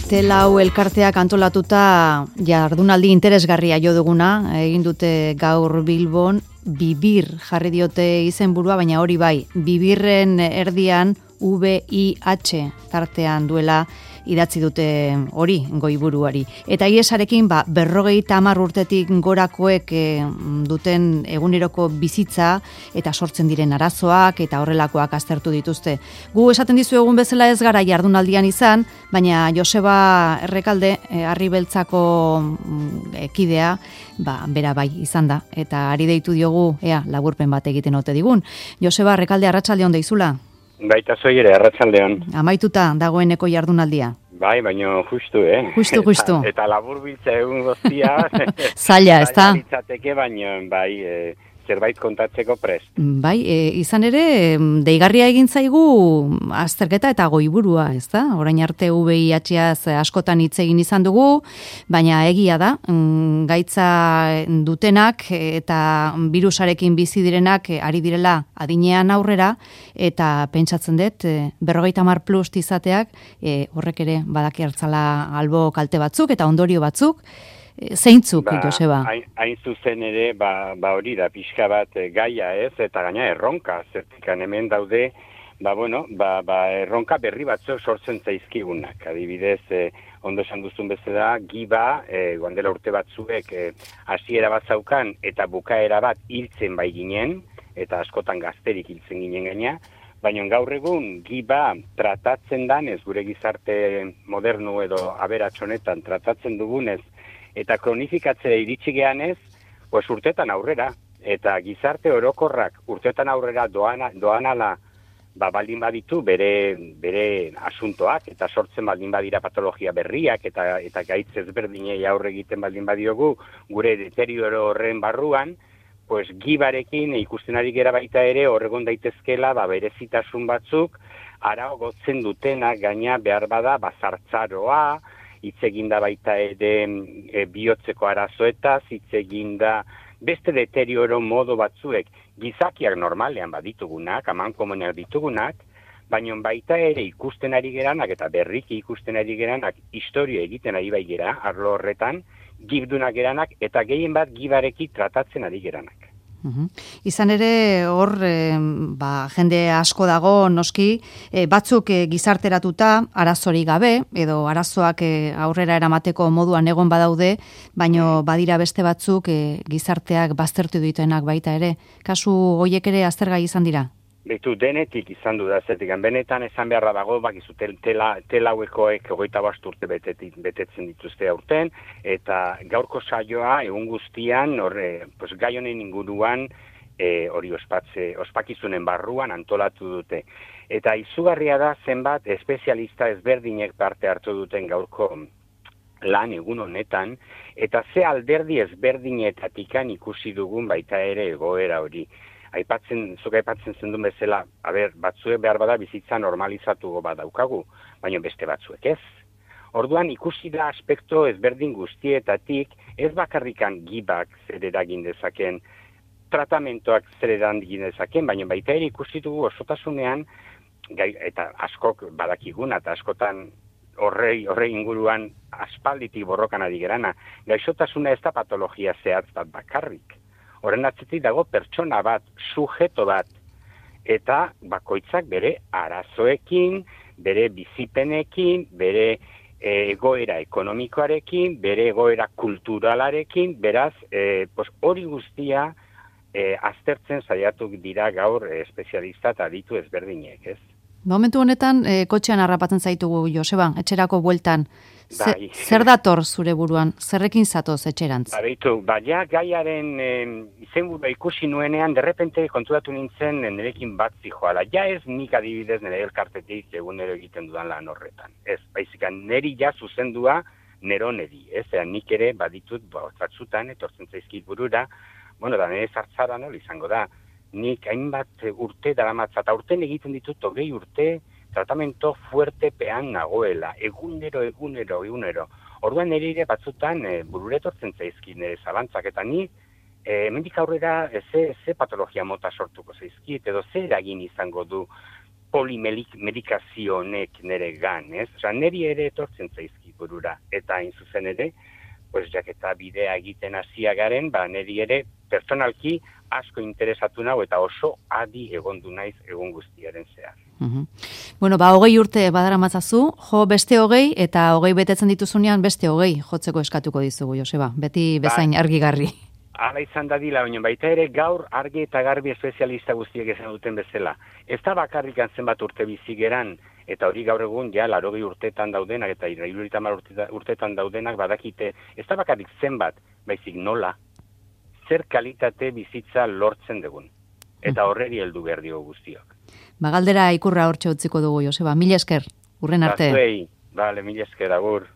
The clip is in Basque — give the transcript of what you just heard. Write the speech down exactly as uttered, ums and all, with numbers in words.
Telau elkarteak antolatuta jardunaldi interesgarria jo duguna, egin dute gaur Bilbon, Bibir jarri diote izenburua, baina hori bai, Bibirren erdian V I H tartean duela idatzi dute hori goiburuari. Eta iesarekin ba, berrogeita hamar urtetik gorakoek e, duten eguneroko bizitza eta sortzen diren arazoak eta horrelakoak aztertu dituzte. Gu esaten dizu egun bezala ez gara jardunaldian izan, baina Joseba Errekalde, e, Harri Beltzako ekidea, ba, bera bai izan da. Eta ari deitu diogu, ea, laburpen bat egiten ote digun. Joseba Errekalde, arratsaldeon deizula. Baita zoi ere, arratsaldeon. Amaituta dagoeneko jardunaldia. Bai, baina justu, eh? Justu, justu. Eta, eta labur biltza egun guztia. Zaila, ez da? Zaila litzateke, baina bai, e, zerbait kontatzeko prest. Bai, e, izan ere, deigarria egin zaigu azterketa eta goiburua, ez da? Orain arte V I H-az askotan hitz egin izan dugu, baina egia da, gaitza dutenak eta birusarekin bizi direnak ari direla adinean aurrera, eta pentsatzen dut, berrogeita hamar plus izateak, e, horrek ere badaki hartzala albo kalte batzuk eta ondorio batzuk, zeintzuk, ba, Joseba? Hain, hain zuzen ere, ba, ba hori da, pixka bat e, gaia ez, eta gaina erronka, zertikan hemen daude, ba bueno, ba, ba erronka berri batzuk sortzen zaizkigunak. Adibidez, e, ondo esan duzun bezala, giba, e, guandela urte batzuek, e, hasiera bat zaukan, eta bukaera bat hiltzen bai ginen, eta askotan gazterik hiltzen ginen gaina, baina gaur egun giba tratatzen danez, gure gizarte modernu edo aberatsonetan tratatzen dugunez, eta kronifikatzea iritsi geanez, pues urtetan aurrera, eta gizarte orokorrak urtetan aurrera doana, doanala ba, baldin baditu bere, bere asuntoak, eta sortzen baldin badira patologia berriak, eta, eta gaitz ezberdinei aurre egiten baldin badiogu, gure deterioro horren barruan, pues gibarekin ikusten ari gera baita ere horregon daitezkela ba, berezitasun batzuk, ara gotzen dutenak gaina behar bada bazartzaroa, hitz eginda baita ere e, bihotzeko arazoetaz, hitz eginda beste deterioro modo batzuek gizakiak normalean baditugunak, amankomunak ditugunak, baina baita ere ikusten ari geranak eta berriki ikusten ari geranak historia egiten ari bai gera, arlo horretan, gibdunak geranak eta gehien bat gibareki tratatzen ari geranak. Uhum. Izan ere hor e, ba, jende asko dago noski, e, batzuk e, gizarteratuta arazori gabe edo arazoak e, aurrera eramateko moduan egon badaude, baino badira beste batzuk e, gizarteak baztertu dituenak baita ere. Kasu hoiek ere aztergai izan dira? Betu, denetik izan du da, zertik, benetan esan beharra dago, bakizu, tela, telauekoek hogeita bost urte betetit, betetzen dituzte aurten, eta gaurko saioa egun guztian, horre, pues, gai honen inguruan, e, hori ospatze, ospakizunen barruan antolatu dute. Eta izugarria da zenbat espezialista ezberdinek parte hartu duten gaurko lan egun honetan, eta ze alderdi ezberdinetatikan ikusi dugun baita ere egoera hori. Aipatzen, zuk aipatzen zendun bezala, a ber, batzuek behar bada bizitza normalizatu badaukagu, baina beste batzuek ez. Orduan ikusi da aspekto ezberdin guztietatik, ez bakarrikan gibak zer eragin dezaken, tratamentoak zer eragin dezaken, baina baita ere ikusi dugu osotasunean, gai, eta askok badakiguna, eta askotan horrei, horrei inguruan aspalditik borrokan ari gerana, gaixotasuna ez da patologia zehatz bat bakarrik. Horren atzetik dago pertsona bat, sujeto bat, eta bakoitzak bere arazoekin, bere bizipenekin, bere e, egoera ekonomikoarekin, bere egoera kulturalarekin, beraz, e, pues, hori guztia e, aztertzen saiatu dira gaur e, espezialista eta aditu ezberdinek, ez? Momentu honetan, e, kotxean harrapatzen zaitugu, Joseba, etxerako bueltan. Bai. Zer dator zure buruan? Zerrekin zatoz etxerantz? Ba, behitu, ba, ja, gaiaren e, izenburua ikusi nuenean, derrepente kontudatu nintzen nirekin bat zijoala. Ja ez nik adibidez nire elkartetik egunero egiten dudan lan horretan. Ez, baizikan, neri ja zuzendua neroneri. Ez, ean nik ere baditut ba, batzutan, etortzen zaizkit burura, bueno, da nire zartzara nola izango da. Nik hainbat urte daramatza, eta urten egiten ditut hogei urte, tratamento fuertepean nagoela, egunero, egunero, egunero. Orduan nire batzutan e, bururetortzen zaizkit nire zalantzak, eta ni e, hemendik aurrera ze, ze patologia mota sortuko zaizkit, edo ze eragin izango du polimedikazio honek nire gan, ez? Osa, niri ere etortzen zaizki burura, eta hain zuzen ere, pues, jaketa bidea egiten hasia garen, ba, niri ere personalki asko interesatu nau eta oso adi egondu naiz egun guztiaren zehar. Uhum. Bueno, ba, hogei urte badara matzazu, jo beste hogei, eta hogei betetzen dituzunean beste hogei jotzeko eskatuko dizugu, Joseba, beti bezain ba, argigarri. Hala izan dadila, baina baita ere gaur argi eta garbi espezialista guztiek esan duten bezala. Ez da bakarrik zenbat urte bizigeran, eta hori gaur egun, ja, larogei urtetan daudenak, eta hirurogeita hamar urtetan daudenak badakite, ez da bakarrik zenbat, baizik nola, zer kalitate bizitza lortzen dugun. Eta horreri heldu behar dio guztiok. Ba, galdera ikurra hortxe utziko dugu, Joseba. Mila esker, urren arte. Batzuei, bale, mila esker, agur.